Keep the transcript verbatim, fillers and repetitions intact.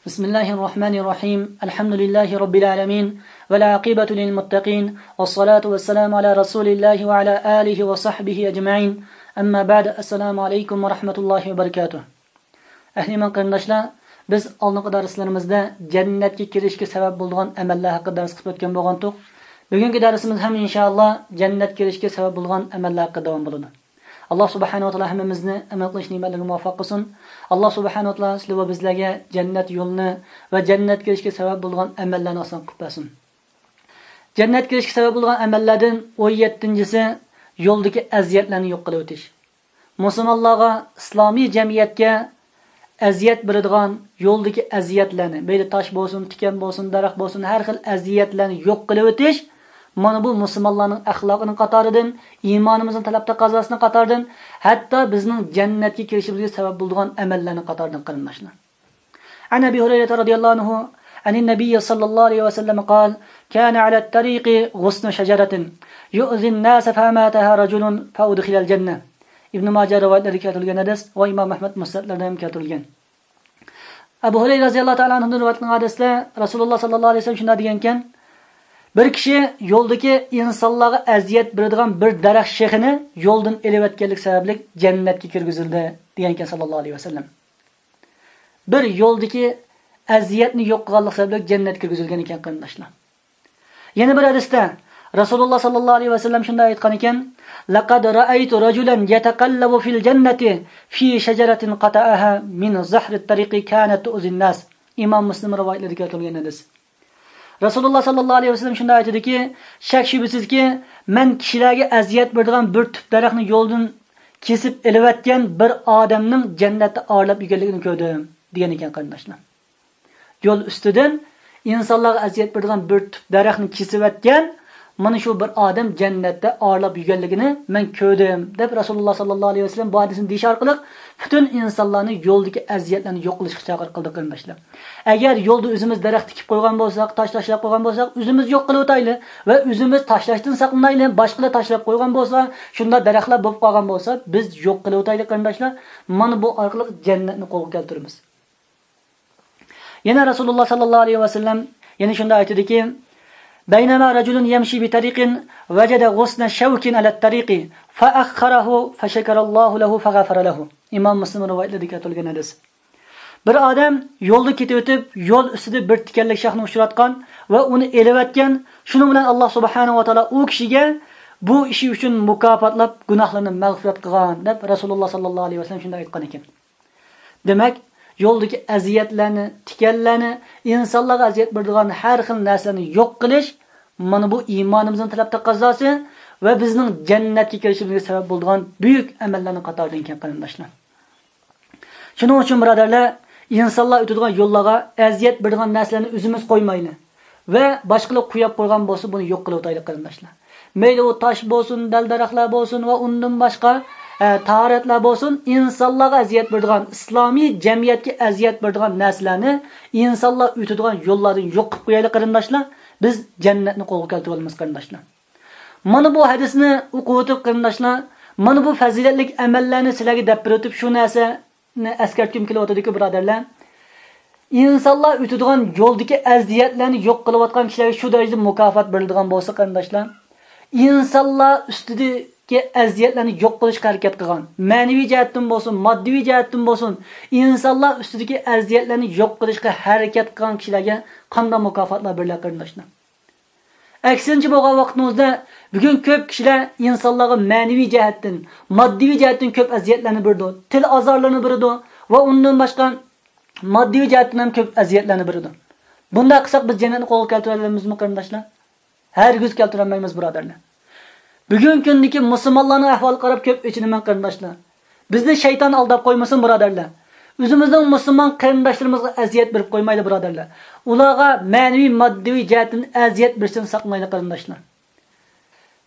بسم الله الرحمن الرحيم. الحمد لله رب العالمين. والعاقبة للمتقين. والصلاة والسلام على رسول الله وعلى آله وصحبه أجمعين. أما بعد. السلام عليكم ورحمة الله وبركاته. ئەھلى ئىمان قېرىنداشلار، بىز ئالدىنقى دەرسلىرىمىزدە جەننەتكە كىرىشكە سەۋەب بولىدىغان ئەمەللەر ھەققىدە دەرس قىلىپ ئۆتكەن بولغانتۇق. بۈگۈنكى دەرسىمىز ھەم ئىنشائاللا جەننەتكە كىرىشكە سەۋەب بولىدىغان ئەمەللەر ھەققىدە داۋام بولىدۇ. ئاللا سۇبھانەھۇ ۋە تائالا ھەممىمىزنى ئەمەل قىلىش نېمەتلىرىگە مۇۋەپپەق قىلسۇن. ئاللا سۇبھانەھۇ ۋە تائالا سىلەر ۋە بىزلەرگە جەننەت يولىنى ۋە جەننەتكە كىرىشكە سەۋەب بولىدىغان ئەمەللەرنى ئاسان قىلىپ بەرسۇن. جەننەتكە كىرىشكە سەۋەب بولىدىغان ئەمەللەردىن ئون يەتتىنچىسى، يولدىكى ئەزىيەتلەرنى يوق قىلىۋېتىش. مۇسۇلمانلارغا، ئىسلامىي جەمئىيەتكە ئەزىيەت بېرىدىغان يولدىكى ئەزىيەتلەرنى، مەيلى تاش بولسۇن، تىكەن بولسۇن، دەرەخ بولسۇن، ھەر خىل ئەزىيەتلەرنى يوق قىلىۋېتىش، مانا بۇ مۇسۇلمانلارنىڭ ئەخلاقىنىڭ قاتارىدىن، ئىمانىمىزنىڭ تەلەپ تەقەززاسىنىڭ قاتارىدىن، ھەتتا بىزنىڭ جەننەتكە كىرىشىمىزگە سەۋەب بولىدىغان ئەمەللەرنىڭ قاتارىدىن، قېرىنداشلار. عن أبي هريرة رضي الله عنه عن النبي صلى الله عليه وسلم قال: كان على الطريق غصن شجرة يؤذي الناس فأماتها رجل فأدخل الجنة. ئىبن ماجە رىۋايەتلىرىدە كەلتۈرۈلگەن ھەدىس ۋە ئىمام ئەھمەد مۇسنەدلىرىدە ھەم كەلتۈرۈلگەن. ئەبۇ ھۇرەيرە رەزىياللاھۇ تائالا ئەنھۇدىن رىۋايەت قىلىنغان ھەدىستە رەسۇلۇللا ساللاللاھۇ ئەلەيھى ۋەسەللەم شۇنداق دېگەنكەن، بىر كىشى يولدىكى ئىنسانلارغا ئەزىيەت بېرىدىغان بىر دەرەخ شېخىنى يولدىن ئېلىۋەتكەنلىك سەۋەبلىك جەننەتكە كىرگۈزۈلدى، دېگەنكەن ساللاللاھۇ ئەلەيھى ۋەسەللەم. بىر يولدىكى ئەزىيەتنى يوق قىلغانلىق سەۋەبلىك جەننەتكە كىرگۈزۈلگەن ئىكەن، قېرىنداشلار. يەنە بىر ھەدىستە رەسۇلۇللا ساللاللاھۇ ئەلەيھى ۋەسەللەم شۇنداق ئېيتقان ئىكەن، لقد رأيت رجلا يتقلب في الجنة في شجرة قطعها من ظهر الطريق كانت تؤذي الناس. ئىمام مۇسلىم رىۋايەتلىرىدە كەلتۈرۈلگەن ھەدىس. رەسۇلۇللا ساللاللاھۇ ئەلەيھى ۋەسەللەم شۇنداق ئېيتىدۇكى، شەك شۈبھىسىزكى، مەن كىشىلەرگە ئەزىيەت بېرىدىغان بىر تۈپ دەرەخنى يولدىن كېسىپ ئېلىۋەتكەن بىر ئادەمنىڭ جەننەتتە ئارىلاپ يۈرگەنلىكىنى كۆردۈم، دېگەن ئىكەن، قېرىنداشلار. يول ئۈستىدىن ئىنسانلارغا ئەزىيەت بېرىدىغان بىر تۈپ دەرەخنى كېسىۋەتكەن، مانا شۇ بىر ئادەم جەننەتتە ئارىلاپ يۈرگەنلىكىنى مەن كۆردۈم، دەپ رەسۇلۇللا ساللاللاھۇ ئەلەيھى ۋەسەللەم بۇ ھەدىسنى دېيىش ئارقىلىق پۈتۈن ئىنسانلارنى يولدىكى ئەزىيەتلەرنى يوق قىلىشقا چاقىرىق قىلدى، قېرىنداشلار. ئەگەر يولدا ئۆزىمىز دەرەخ تىكىپ قويغان بولساق، تاش تاشلاپ قويغان بولساق، ئۆزىمىز يوق قىلىۋېتەيلى ۋە ئۆزىمىز تاشلاشتىن ساقلىنايلى، باشقىلار تاشلاپ قويغان بولسا، شۇنداق دەرەخلەر بولۇپ قالغان بولسا، بىز يوق قىلىۋېتەيلى، قېرىنداشلار. مانا بۇ ئارقىلىق جەننەتنى قولغا كەلتۈرىمىز. يەنە رەسۇلۇللا ساللاللاھۇ ئەلەيھى ۋەسەللەم يەنە شۇنداق ئېيتىدىكى، بينما رجل يمشي بطريق وجد غصن شوك على الطريق فأخره فشكر الله له فغفر له. ئىمام مۇسلىم رىۋايەتلىرىدە كەلتۈرۈلگەن ھەدىس. بىر ئادەم يولدا كېتىۋېتىپ، يول ئۈستىدە بىر تىكەنلىك شاخنى ئۇچراتقان ۋە ئۇنى ئېلىۋەتكەن، شۇنىڭ بىلەن ئاللا سۇبھانەھۇ ۋە تائالا ئۇ كىشىگە بۇ ئىشى ئۈچۈن مۇكاپاتلاپ، گۇناھلىرىنى مەغپىرەت قىلغان، دەپ رەسۇلۇللا ساللاللاھۇ ئەلەيھى ۋەسەللەم شۇنداق ئېيتقان ئىكەن. دېمەك، يولدىكى ئەزىيەتلەرنى، تىكەنلەرنى، ئىنسانلارغا ئەزىيەت بېرىدىغان ھەر خىل نەرسىلەرنى يوق قىلىش، مانا بۇ ئىمانىمىزنىڭ تەلەپ تەقەززاسى ۋە بىزنىڭ جەننەتكە كىرىشىمىزگە سەۋەب بولىدىغان بۈيۈك ئەمەللەرنىڭ قاتارىدىن ئىكەن، قېرىنداشلار. شۇنىڭ ئۈچۈن، بۇرادەرلەر، ئىنسانلار ئۆتىدىغان يوللارغا ئەزىيەت بېرىدىغان نەرسىلەرنى ئۆزىمىز قويمايلى ۋە باشقىلار قويۇپ قويغان بولسا، بۇنى يوق قىلىۋېتەيلى، قېرىنداشلار. مەيلى ئۇ تاش بولسۇن، دەل-دەرەخلەر بولسۇن ۋە ئۇندىن باشقا، ئە، تاھارەتلەر بولسۇن، ئىنسانلارغا ئەزىيەت بېرىدىغان، ئىسلامىي جەمئىيەتكە ئەزىيەت بېرىدىغان نەرسىلەرنى، ئىنسانلار ئۆتىدىغان يوللاردىن يوق قىلىپ قويايلى، قېرىنداشلار. بىز جەننەتنى قولغا كەلتۈرۈۋالىمىز، قېرىنداشلار. مانا بۇ ھەدىسنى ئوقۇۋېتىپ، قېرىنداشلار، مانا بۇ پەزىلەتلىك ئەمەللەرنى سىلەرگە دەپ بېرىۋېتىپ، شۇ نەرسە ئەسكەرتكۈم كېلىۋاتىدۇكى، بۇرادەرلەر. ئىنسانلار ئۆتىدىغان يولدىكى ئەزىيەتلەرنى يوق قىلىۋاتقان كىشىلەرگە شۇ دەرىجىدە مۇكاپات بېرىلىدىغان بولسا، قېرىنداشلار، ئىنسانلار ئۈستىدىكى ئەزىيەتلەرنى يوق قىلىشقا ھەرىكەت قىلغان، مەنىۋى جەھەتتىن بولسۇن، ماددىي جەھەتتىن بولسۇن، ئىنسانلار ئۈستىدىكى ئەزىيەتلەرنى يوق قىلىشقا ھەرىكەت قىلغان كىشىلەرگە قانداق مۇكاپاتلار بېرىلەر، قېرىنداشلار؟ ئەكسىنچە بولغان ۋاقتىمىزدا، بۈگۈن كۆپ كىشىلەر ئىنسانلارغا مەنىۋى جەھەتتىن، ماددىي جەھەتتىن كۆپ ئەزىيەتلەرنى بېرىدۇ، تىل ئازارلىرىنى بېرىدۇ ۋە ئۇندىن باشقا ماددىي جەھەتتىن ھەم كۆپ ئەزىيەتلەرنى بېرىدۇ. بۇنداق قىلساق، بىز جەننەتنى قولغا كەلتۈرەلەيمىزمۇ، قېرىنداشلار؟ ھەرگىز كەلتۈرەلمەيمىز، بۇرادەرلەر. بۈگۈنكى كۈندىكى مۇسۇلمانلارنىڭ ئەھۋالىغا قاراپ كۆپ ئېچىنىمەن، قېرىنداشلار. بىزنى شەيتان ئالداپ قويمىسۇن، بۇرادەرلەر. ئۆزىمىزنىڭ مۇسۇلمان قېرىنداشلىرىمىزغا ئەزىيەت بېرىپ قويمايلى، بۇرادەرلەر. ئۇلارغا مەنىۋى، ماددىي جەھەتتىن ئەزىيەت بېرىشتىن ساقلىنايلى، قېرىنداشلار.